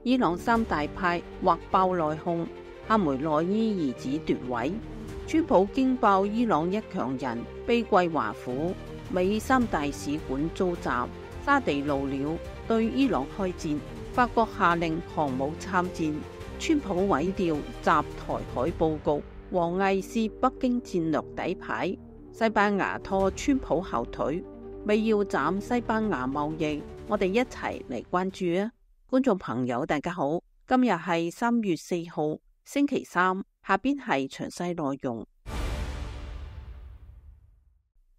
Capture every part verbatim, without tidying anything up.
伊朗三大派或爆內訌，哈梅內伊兒子奪位。川普驚爆伊朗一強人被歸華府，美三大使館遭襲，沙地怒了對伊朗開戰，法國下令航母參戰，川普毀掉襲台海佈局，王毅是北京戰略底牌，西班牙拖川普後腿，美要斬西班牙貿易，我哋一齊嚟關注啊！觀眾朋友大家好，今日係三月四號星期三，下邊係詳細內容。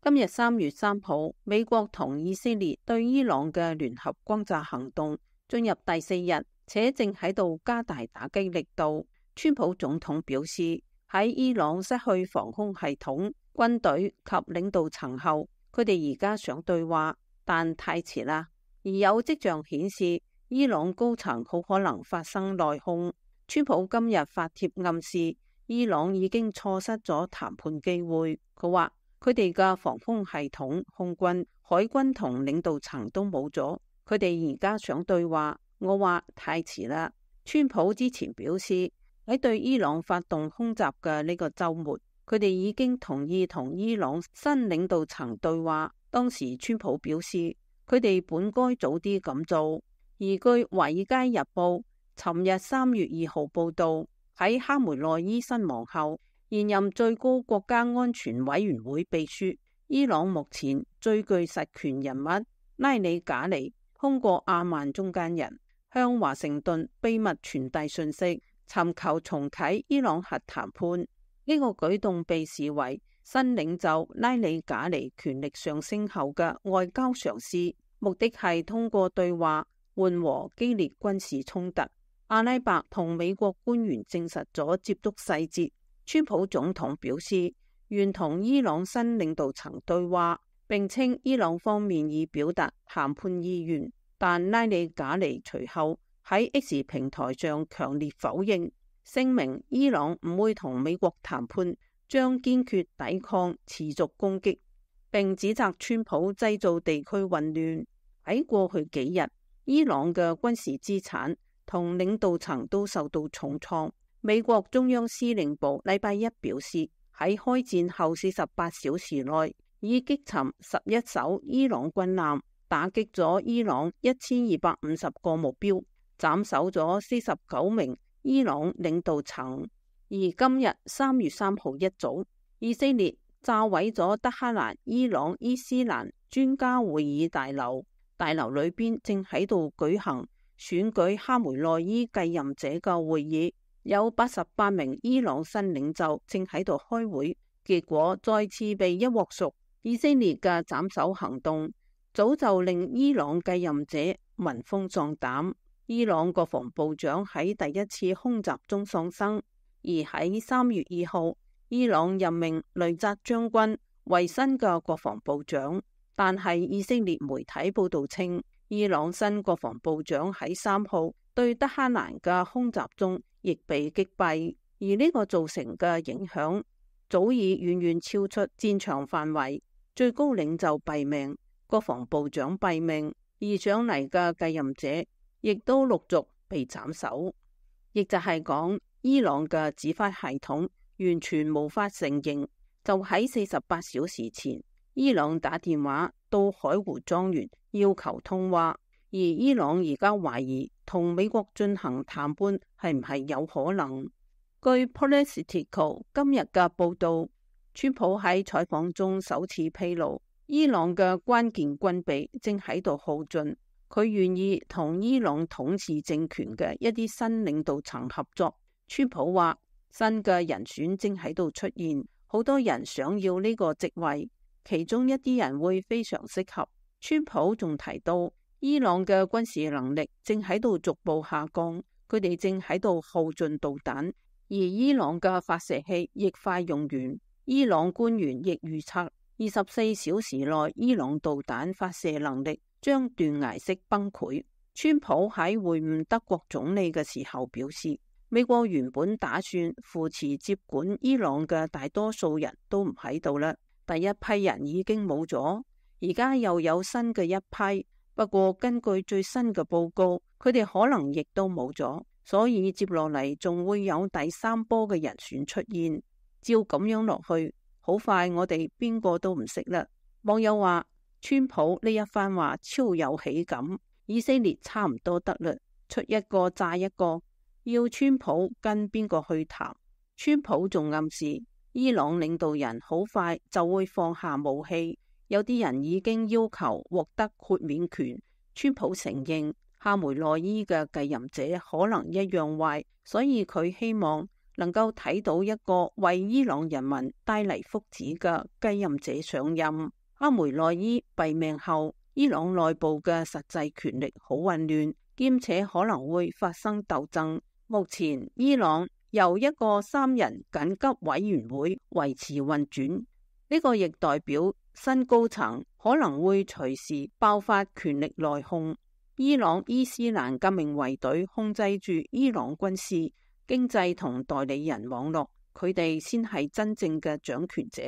今日三月三號，美國同以色列對伊朗嘅聯合轟炸行動進入第四日，且正喺度加大打擊力度。川普總統表示，喺伊朗失去防空系統、軍隊及領導層後，佢哋而家想對話，但太遲啦。而有跡象顯示，伊朗高層好可能發生內訌。川普今日發帖暗示，伊朗已經錯失咗談判機會。佢話佢哋嘅防空系統、空軍、海軍同領導層都冇咗，佢哋而家想對話。我話太遲啦。川普之前表示，喺對伊朗發動空襲嘅呢個週末，佢哋已經同意同伊朗新領導層對話。當時川普表示，佢哋本該早啲咁做。而據《華爾街日報》尋日三月二號報道，喺哈梅內伊身亡後，現任最高國家安全委員會秘書、伊朗目前最具實權人物拉里賈尼通過阿曼中間人向華盛頓秘密傳遞訊息，尋求重啟伊朗核談判。呢個舉動被視為新領袖拉里賈尼權力上升後嘅外交嘗試，目的係通過對話緩和激烈軍事衝突。阿拉伯同美國官員證實咗接觸細節。川普總統表示願同伊朗新領導層對話，並稱伊朗方面已表達談判意願，但拉里賈尼隨後喺 X 平台上強烈否認，聲明伊朗唔會同美國談判，將堅決抵抗持續攻擊，並指責川普製造地區混亂。喺過去幾日，伊朗嘅軍事資產同領導層都受到重創。美國中央司令部禮拜一表示，喺開戰後四十八小時內，已擊沉十一艘伊朗軍艦，打擊咗伊朗一千二百五十個目標，斬首咗四十九名伊朗領導層。而今日三月三號一早，以色列炸毀咗德黑蘭伊朗伊斯蘭專家會議大樓。大樓裏邊正喺度舉行選舉哈梅內伊繼任者嘅會議，有八十八名伊朗新領袖正喺度開會，結果再次被一鑊熟。以色列嘅斬首行動早就令伊朗繼任者聞風喪膽。伊朗國防部長喺第一次空襲中喪生，而喺三月二號，伊朗任命雷扎將軍為新嘅國防部長。但係以色列媒體報道稱，伊朗新國防部長喺三號對德黑蘭嘅空襲中亦被擊斃，而呢個造成嘅影響早已遠遠超出戰場範圍。最高領袖斃命，國防部長斃命，而上嚟嘅繼任者亦都陸續被斬首。亦就係講，伊朗嘅指揮系統完全無法承認。就喺四十八小時前，伊朗打電話到海湖莊園要求通話，而伊朗而家懷疑同美國進行談判係唔係有可能。據 Politico 今日嘅報道，川普喺採訪中首次披露，伊朗嘅關鍵軍備正喺度耗盡，佢願意同伊朗統治政權嘅一啲新領導層合作。川普話新嘅人選正喺度出現，好多人想要呢個職位。其中一啲人會非常適合。川普仲提到，伊朗嘅軍事能力正喺度逐步下降，佢哋正喺度耗盡導彈，而伊朗嘅發射器亦快用完。伊朗官員亦預測，二十四小時內伊朗導彈發射能力將斷崖式崩潰。川普喺會晤德國總理嘅時候表示，美國原本打算扶持接管伊朗嘅大多數人都唔喺度啦。第一批人已經冇咗，而家又有新嘅一批，不過根據最新嘅報告，佢哋可能亦都冇咗，所以接落嚟仲會有第三波嘅人選出現。照咁樣落去，好快我哋邊個都唔識啦。網友話，川普呢一番話超有喜感，以色列差唔多得啦，出一個炸一個，要川普跟邊個去談。川普仲暗示伊朗領導人好快就會放下武器，有啲人已經要求獲得豁免權。川普承認哈梅內伊嘅繼任者可能一樣壞，所以佢希望能夠睇到一個為伊朗人民帶嚟福祉嘅繼任者上任。哈梅內伊斃命後，伊朗內部嘅實際權力好混亂，兼且可能會發生鬥爭。目前伊朗由一個三人緊急委員會維持運轉，呢個亦代表新高層可能會隨時爆發權力內訌。伊朗伊斯蘭革命衛隊控制住伊朗軍事、經濟同代理人網絡，佢哋先係真正嘅掌權者。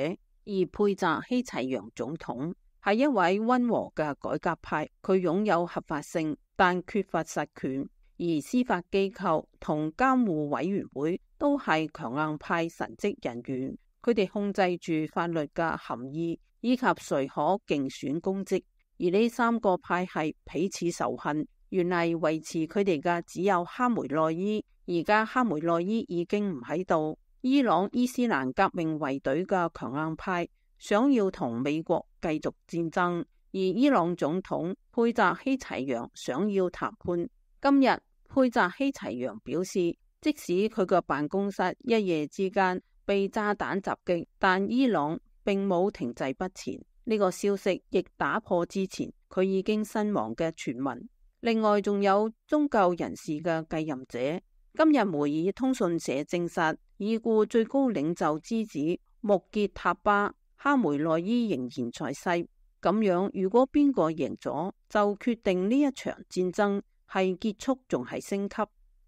而佩澤希齊揚總統係一位溫和嘅改革派，佢擁有合法性，但缺乏實權。而司法機構同監護委員會都係強硬派神職人員，佢哋控制住法律嘅含義以及誰可競選公職。而呢三個派系彼此仇恨，原嚟維持佢哋嘅只有哈梅內伊，而家哈梅內伊已經唔喺度。伊朗伊斯蘭革命衛隊嘅強硬派想要同美國繼續戰爭，而伊朗總統佩澤希齊揚想要談判。今日佩澤希齊揚表示，即使佢個辦公室一夜之間被炸彈襲擊，但伊朗並冇停滯不前。呢個消息亦打破之前佢已經身亡嘅傳聞。另外仲有宗教人士嘅繼任者。今日梅爾通訊社證實，已故最高領袖之子穆傑塔巴哈梅內伊仍然在世。咁樣如果邊個贏咗，就決定呢一場戰爭係結束仲係升級。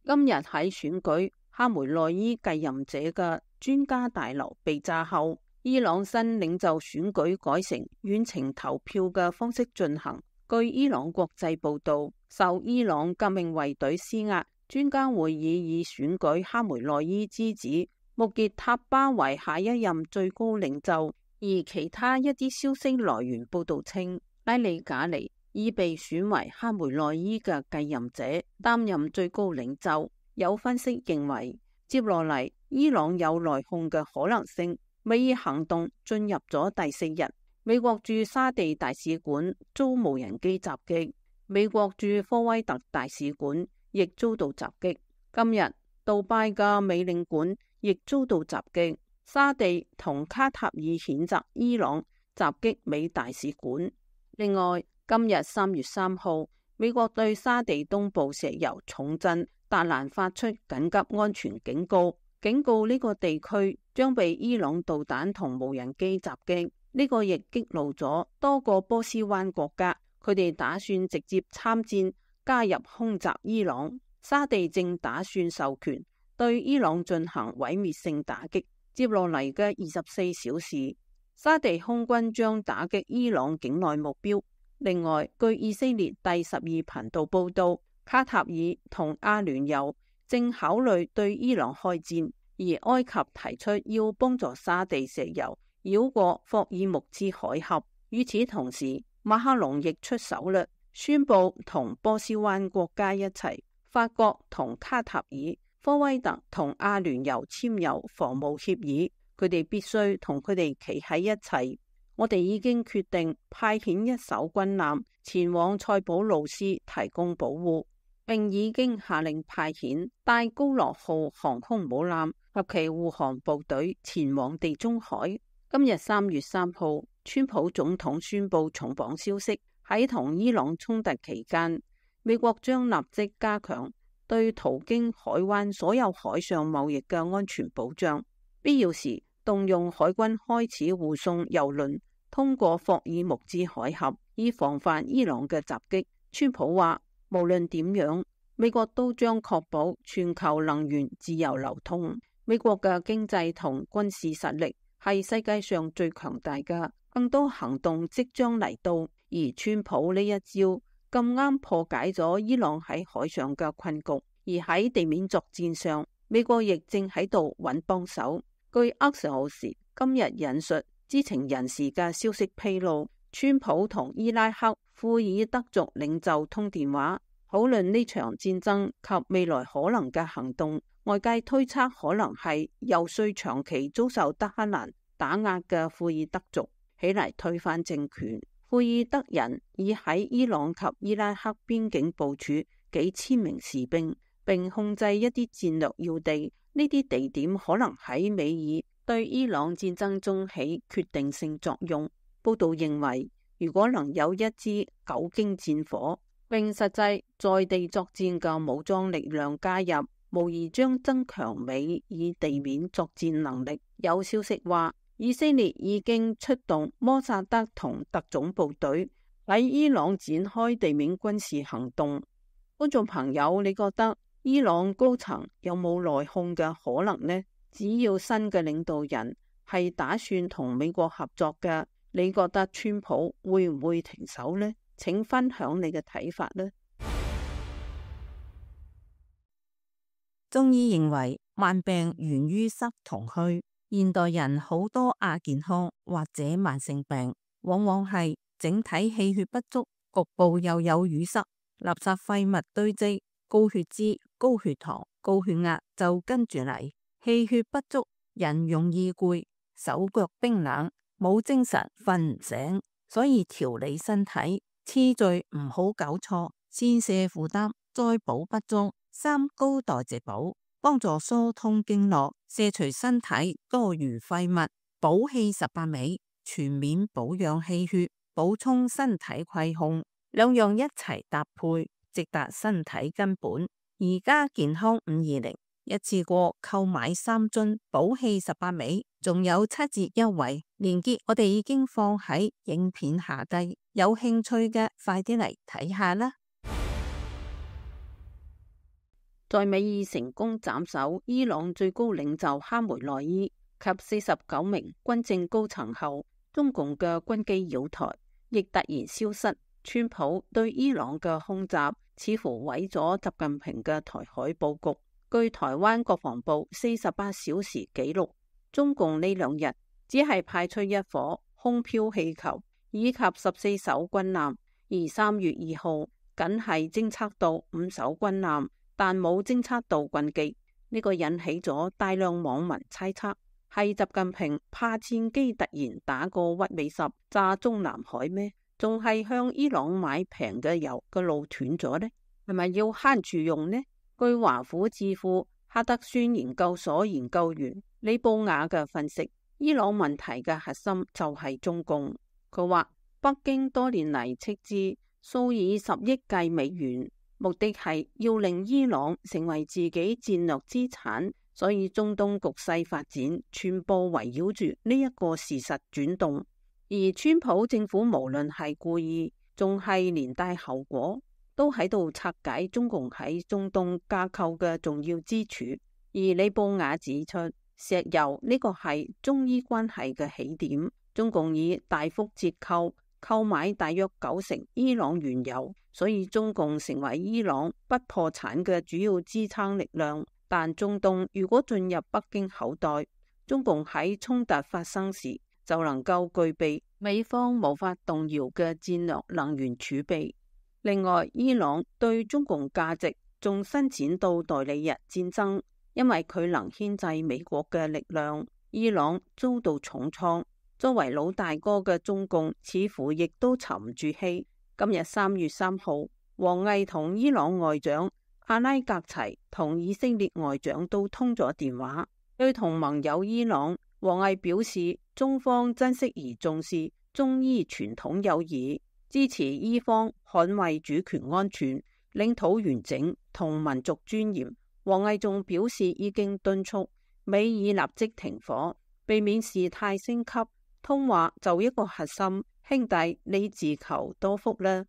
今日喺選舉哈梅內伊繼任者嘅專家大樓被炸後，伊朗新領袖選舉改成遠程投票嘅方式進行。據伊朗國際報道，受伊朗革命衛隊施壓，專家會議以選舉哈梅內伊之子穆傑塔巴為下一任最高領袖。而其他一啲消息來源報道稱，拉里賈尼已被選為哈梅內伊嘅繼任者，擔任最高領袖。有分析認為，接落嚟伊朗有內訌嘅可能性。美爾行動進入咗第四日，美國駐沙地大使館遭無人機襲擊，美國駐科威特大使館亦遭到襲擊。今日杜拜嘅美領館亦遭到襲擊。沙地同卡塔爾譴責伊朗襲擊美大使館。另外，今日三月三號，美國對沙地東部石油重鎮達蘭發出緊急安全警告，警告呢個地區將被伊朗導彈同無人機襲擊。呢個亦激怒咗多個波斯灣國家，佢哋打算直接參戰加入空襲伊朗。沙地正打算授權對伊朗進行毀滅性打擊。接落嚟嘅二十四小時，沙地空軍將打擊伊朗境內目標。另外，據以色列第十二頻道報道，卡塔爾同阿聯酋正考慮對伊朗開戰，而埃及提出要幫助沙地石油繞過霍爾木茲海峽。與此同時，馬克龍亦出手啦，宣布同波斯灣國家一齊，法國同卡塔爾、科威特同阿聯酋簽有防務協議，佢哋必須同佢哋企喺一齊。我哋已經決定派遣一艘軍艦前往塞浦路斯提供保護，並已經下令派遣戴高樂號航空母艦及其護航部隊前往地中海。今日三月三號，川普總統宣布重磅消息，喺同伊朗衝突期間，美國將立即加強對途經海灣所有海上貿易嘅安全保障，必要時動用海軍開始護送郵輪通過霍爾木茲海峽，以防範伊朗嘅襲擊。川普話，無論點樣，美國都將確保全球能源自由流通。美國嘅經濟同軍事實力係世界上最強大嘅，更多行動即將嚟到，而川普呢一招咁啱破解咗伊朗喺海上嘅困局，而喺地面作戰上，美國亦正喺度揾幫手。據厄瑟奧斯今日引述知情人士嘅消息披露，川普同伊拉克庫爾德族領袖通電話，討論呢場戰爭及未來可能嘅行動。外界推測可能係遊說長期遭受德黑蘭打壓嘅庫爾德族起嚟推翻政權。庫爾德人已喺伊朗及伊拉克邊境部署幾千名士兵，並控制一啲戰略要地。呢啲地點可能喺美爾對伊朗戰爭中起決定性作用。報道認為，如果能有一支久經戰火並實際在地作戰嘅武裝力量加入，無疑將增強美爾地面作戰能力。有消息話，以色列已經出動摩薩德同特種部隊喺伊朗展開地面軍事行動。觀眾朋友，你覺得伊朗高層有冇內訌嘅可能呢？只要新嘅領導人係打算同美國合作嘅，你覺得川普會唔會停手呢？請分享你嘅睇法呢？中醫認為，慢病源於濕同虛。現代人好多亞健康或者慢性病，往往係整體氣血不足，局部又有淤塞，垃圾廢物堆積，高血脂、高血糖、高血壓就跟住嚟。氣血不足，人容易攰，手腳冰冷，冇精神，瞓唔醒。所以調理身體次序唔好搞錯，先瀉負擔，再補不足。三高代謝補，幫助疏通經絡，卸除身體多餘廢物，補氣十八味，全面保養氣血，補充身體虧空，兩樣一齊搭配，直達身體根本。而家健康五二零一次過購買三樽補氣十八味，仲有七折優惠，連結我哋已經放喺影片下低，有興趣嘅快啲嚟睇下啦。在美爾成功斬首伊朗最高領袖哈梅內伊及四十九名軍政高層後，中共嘅軍機擾台亦突然消失。川普對伊朗嘅空襲似乎毀咗習近平嘅台海布局。據台灣國防部四十八小時紀錄，中共呢兩日只係派出一顆空飄氣球以及十四艘軍艦，而三月二號僅係偵測到五艘軍艦，但冇偵測到軍機。呢個引起咗大量網民猜測，係習近平怕戰機突然打過屈美十炸中南海咩？仲係向伊朗買平嘅油嘅路斷咗呢？係咪要慳住用呢？據華府智庫哈德遜研究所研究員李布雅嘅分析，伊朗問題嘅核心就係中共。佢話北京多年嚟斥資數以十億計美元，目的係要令伊朗成為自己戰略資產，所以中東局勢發展全部圍繞住呢一個事實轉動。而川普政府無論係故意，仲係連帶後果，都喺度拆解中共喺中東架構嘅重要支柱。而李布雅指出，石油呢個係中伊關係嘅起點，中共以大幅折扣購買大約九成伊朗原油，所以中共成為伊朗不破產嘅主要支撐力量。但中東如果進入北京口袋，中共喺衝突發生時就能夠具備美方無法動搖嘅戰略能源儲備。另外，伊朗對中共價值仲伸展到代理人戰爭，因為佢能牽制美國嘅力量。伊朗遭到重創，作為老大哥嘅中共似乎亦都沉唔住氣。今日三月三號，王毅同伊朗外長阿拉格齊同以色列外長都通咗電話，對同盟友伊朗，王毅表示中方珍惜而重視中伊傳統友誼，支持伊方捍衛主權安全、領土完整同民族尊嚴。王毅仲表示已經敦促美爾立即停火，避免事態升級。通話就一個核心，兄弟你自求多福啦。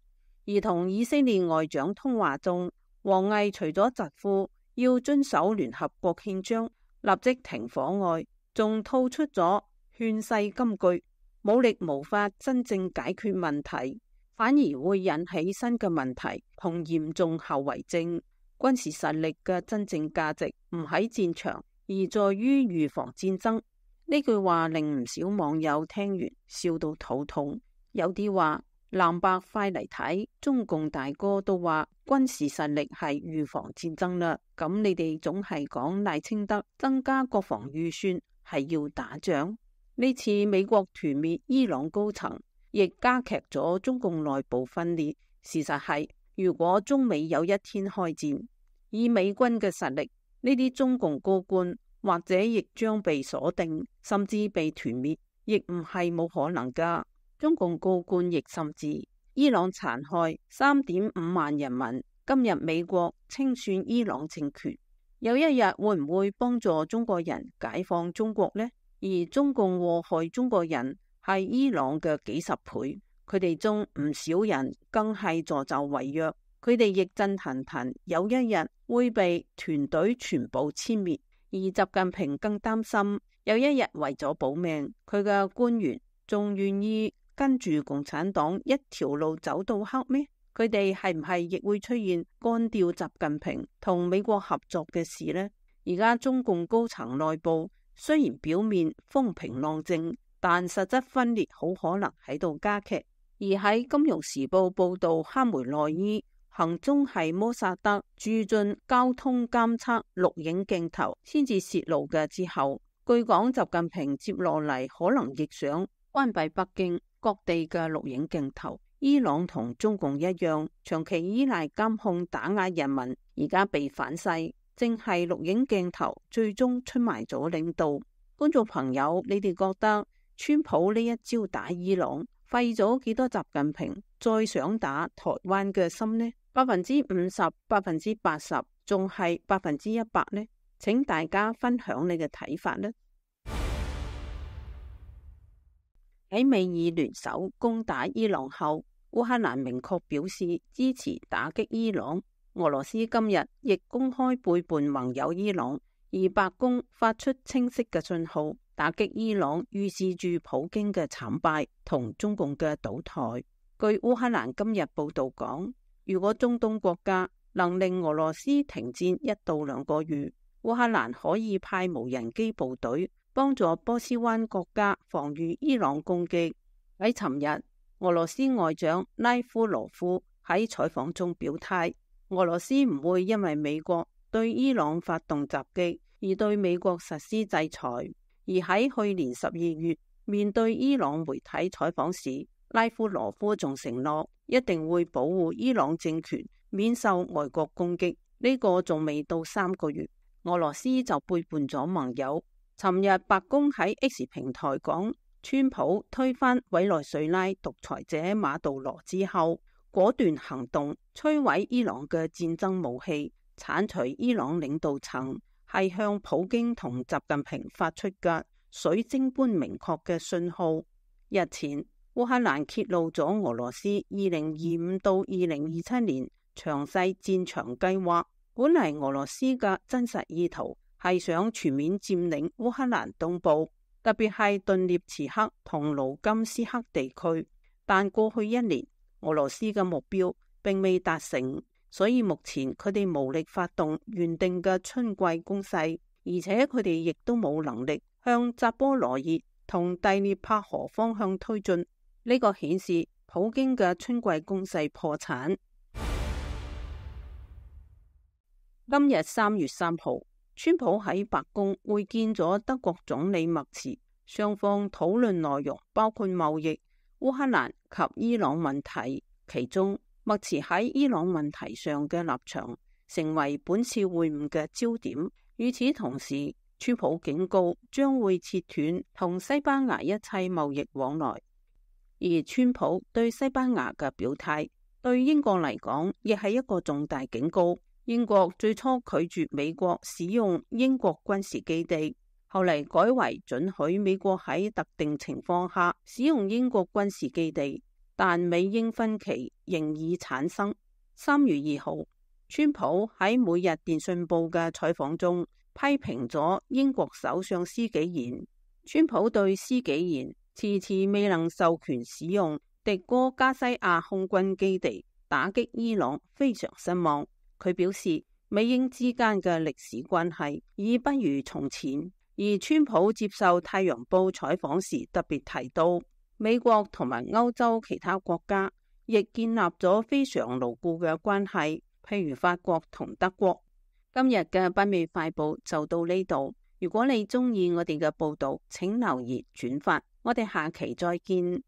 而同以色列外長通話中，王毅除咗疾呼要遵守聯合國憲章、立即停火外，仲吐出咗勸世金句：武力無法真正解決問題，反而會引起新嘅問題同嚴重後遺症。軍事實力嘅真正價值唔喺戰場，而在於預防戰爭。呢句話令唔少網友聽完笑到肚痛。有啲話藍白快嚟睇，中共大哥都話軍事實力係預防戰爭啦。咁你哋總係講賴清德增加國防預算係要打仗。呢次美國團滅伊朗高層，亦加劇咗中共內部分裂。事實係，如果中美有一天開戰，以美軍嘅實力，呢啲中共高官或者亦將被鎖定，甚至被團滅，亦唔係冇可能噶。中共高官亦甚至，伊朗殘害三點五萬人民，今日美國清算伊朗政權，有一日會唔會幫助中國人解放中國呢？而中共禍害中國人係伊朗嘅幾十倍，佢哋中唔少人更係助紂為虐。佢哋亦震騰騰，有一日會被團隊全部殲滅。而習近平更擔心，有一日為咗保命，佢嘅官員仲願意跟住共產黨一條路走到黑咩？佢哋係唔係亦會出現幹掉習近平同美國合作嘅事呢？而家中共高層內部雖然表面風平浪靜，但實質分裂好可能喺度加劇。而喺《金融時報》報道，哈梅內伊行蹤係摩薩德駐進交通監測錄影鏡頭先至洩露嘅之後，據講習近平接落嚟可能亦想關閉北京各地嘅錄影鏡頭。伊朗同中共一樣，長期依賴監控打壓人民，而家被反噬，正係錄影鏡頭最終出賣咗領導。觀眾朋友，你哋覺得川普呢一招打伊朗廢咗幾多習近平再想打台灣嘅心呢？百分之五十、百分之八十，仲係百分之一百呢？請大家分享你嘅睇法呢。喺美伊聯手攻打伊朗後，烏克蘭明確表示支持打擊伊朗。俄羅斯今日亦公開背叛盟友伊朗，而白宮發出清晰嘅信號，打擊伊朗預示住普京嘅慘敗同中共嘅倒台。據烏克蘭今日報道講，如果中東國家能令俄羅斯停戰一到兩個月，烏克蘭可以派無人機部隊幫助波斯灣國家防禦伊朗攻擊。喺尋日，俄羅斯外長拉夫羅夫喺採訪中表態，俄羅斯唔會因為美國對伊朗發動襲擊而對美國實施制裁。而喺去年十二月面對伊朗媒體採訪時，拉夫羅夫仲承諾一定會保護伊朗政權免受外國攻擊。呢個仲未到三個月，俄羅斯就背叛咗盟友。尋日白宮喺 X 平台講，川普推翻委內瑞拉獨裁者馬杜羅之後，果斷行動摧毀伊朗嘅戰爭武器，鏟除伊朗領導層，係向普京同習近平發出嘅水晶般明確嘅信號。日前烏克蘭揭露咗俄羅斯二零二五到二零二七年詳細戰場計劃。本嚟俄羅斯嘅真實意圖係想全面佔領烏克蘭東部，特別係頓涅茨克同盧甘斯克地區，但過去一年俄羅斯嘅目標並未達成，所以目前佢哋無力發動原定嘅春季攻勢，而且佢哋亦都冇能力向扎波羅熱同第聶伯河方向推進。呢個顯示普京嘅春季攻勢破產。今日三月三號，川普喺白宮會見咗德國總理默茨，雙方討論內容包括貿易、烏克蘭及伊朗問題。其中，默茨喺伊朗問題上嘅立場成為本次會晤嘅焦點。與此同時，川普警告將會切斷同西班牙一切貿易往來。而川普對西班牙嘅表態，對英國嚟講亦係一個重大警告。英國最初拒絕美國使用英國軍事基地，後嚟改為准許美國喺特定情況下使用英國軍事基地，但美英分歧仍已產生。三月二號，川普喺每日電訊報嘅採訪中批評咗英國首相施紀賢。川普對施紀賢遲遲未能授權使用迪戈加西亞空軍基地打擊伊朗非常失望。佢表示，美英之間嘅歷史關係已不如從前。而川普接受《太陽報》採訪時特別提到，美國同埋歐洲其他國家亦建立咗非常牢固嘅關係，譬如法國同德國。今日嘅北美快報就到呢度。如果你鍾意我哋嘅報道，請留言轉發。我哋下期再見。